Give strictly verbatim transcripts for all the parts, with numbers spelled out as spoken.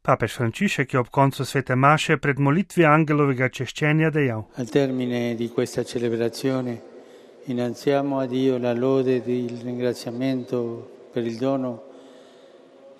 Papež Frančišek je ob koncu svete maše pred molitvi angelovega češčenja dejal: Al termine di questa celebrazione innalziamo a Dio la lode e il ringraziamento per il dono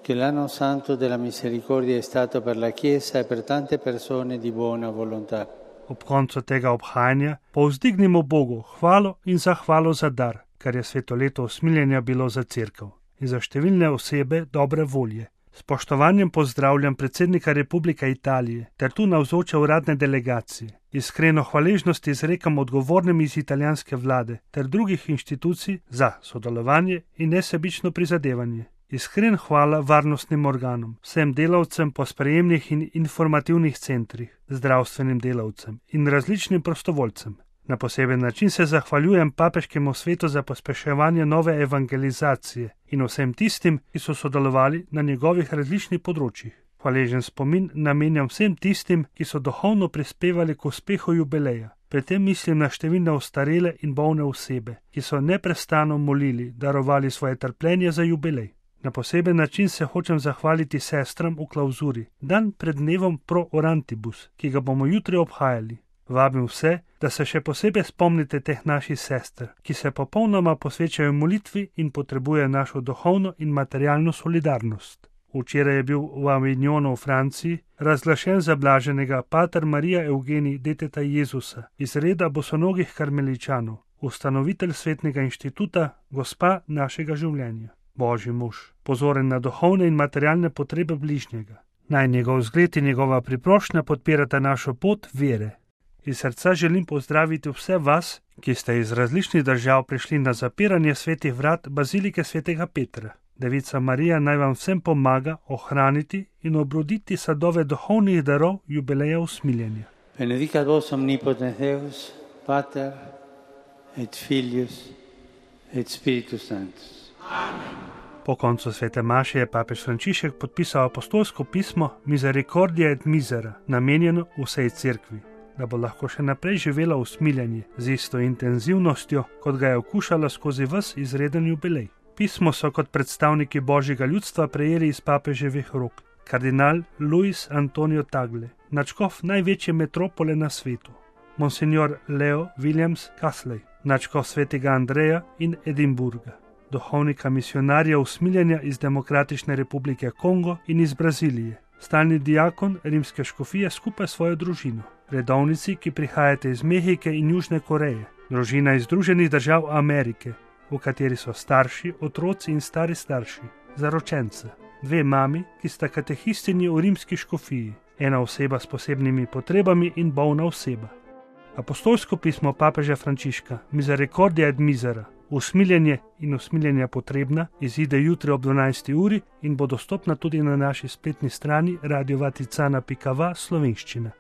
che l'anno santo della misericordia è stato per la Chiesa e per tante persone di buona volontà. Ob koncu tega obhajanja povzdignimo Bogu hvalo in zahvalo za dar, kar je sveto leto usmiljenja bilo za cerkev in za številne osebe dobre volje. Spoštovanjem pozdravljam predsednika Republike Italije ter tu navzoče uradne delegacije. Iskreno hvaležnost izrekam odgovornim iz italijanske vlade ter drugih inštitucij za sodelovanje in nesebično prizadevanje. Iskren hvala varnostnim organom, vsem delavcem po sprejemnih in informativnih centrih, zdravstvenim delavcem in različnim prostovoljcem. Na poseben način se zahvaljujem papeškemu svetu za pospeševanje nove evangelizacije in vsem tistim, ki so sodelovali na njegovih različnih področjih. Hvaležen spomin namenjam vsem tistim, ki so duhovno prispevali k uspehu jubileja. Pri tem mislim na številne ostarele in bolne osebe, ki so neprestano molili, darovali svoje trpljenje za jubilej. Na poseben način se hočem zahvaliti sestram v klauzuri, dan pred dnevom Pro Orantibus, ki ga bomo jutri obhajali. Vabim vse, da se še posebej spomnite teh naših sester, ki se popolnoma posvečajo molitvi in potrebujejo našo duhovno in materialno solidarnost. Včeraj je bil v Avignonu v Franciji razglašen za blaženega pater Marija Eugenij Deteta Jezusa iz reda bosonogih karmeličanov, ustanovitelj svetnega inštituta, gospa našega življenja. Božji mož, pozoren na duhovne in materialne potrebe bližnjega. Naj njegov zgled in njegova priprošnja podpirata našo pot vere. Iz srca želim pozdraviti vse vas, ki ste iz različnih držav prišli na zapiranje svetih vrat Bazilike svetega Petra. Devica Marija naj vam vsem pomaga ohraniti in obroditi sadove duhovnih darov jubileja usmiljenja. Benedicat vos omnipotens Deus, Pater et Filius et Spiritus Sanctus. Amen. Po koncu svete maše je papež Frančišek podpisal apostolsko pismo Misericordia et Misera, namenjeno vsej cerkvi, da bo lahko še naprej živela usmiljenje z isto intenzivnostjo, kot ga je okušala skozi ves izreden jubilej. Pismo so kot predstavniki božjega ljudstva prejeli iz papeževih rok kardinal Luis Antonio Tagle, nadškof največje metropole na svetu, monsignor Leo Williams Casley, nadškof svetega Andreja in Edinburga, duhovnika misionarja usmiljenja iz Demokratične republike Kongo in iz Brazilije, stalni diakon rimske škofije skupaj s svojo družino, redovnici, ki prihajate iz Mehike in Južne Koreje, družina iz Združenih držav Amerike, v kateri so starši, otroci in stari starši, zaročence, dve mami, ki sta katehistinji v rimski škofiji, ena oseba s posebnimi potrebami in bolna oseba. Apostolsko pismo papeža Frančiška Misericordia et Misera, usmiljenje in usmiljenja potrebna, izide jutri ob dvanajsti uri in bo dostopna tudi na naši spletni strani radio vaticana pika va slovenščina.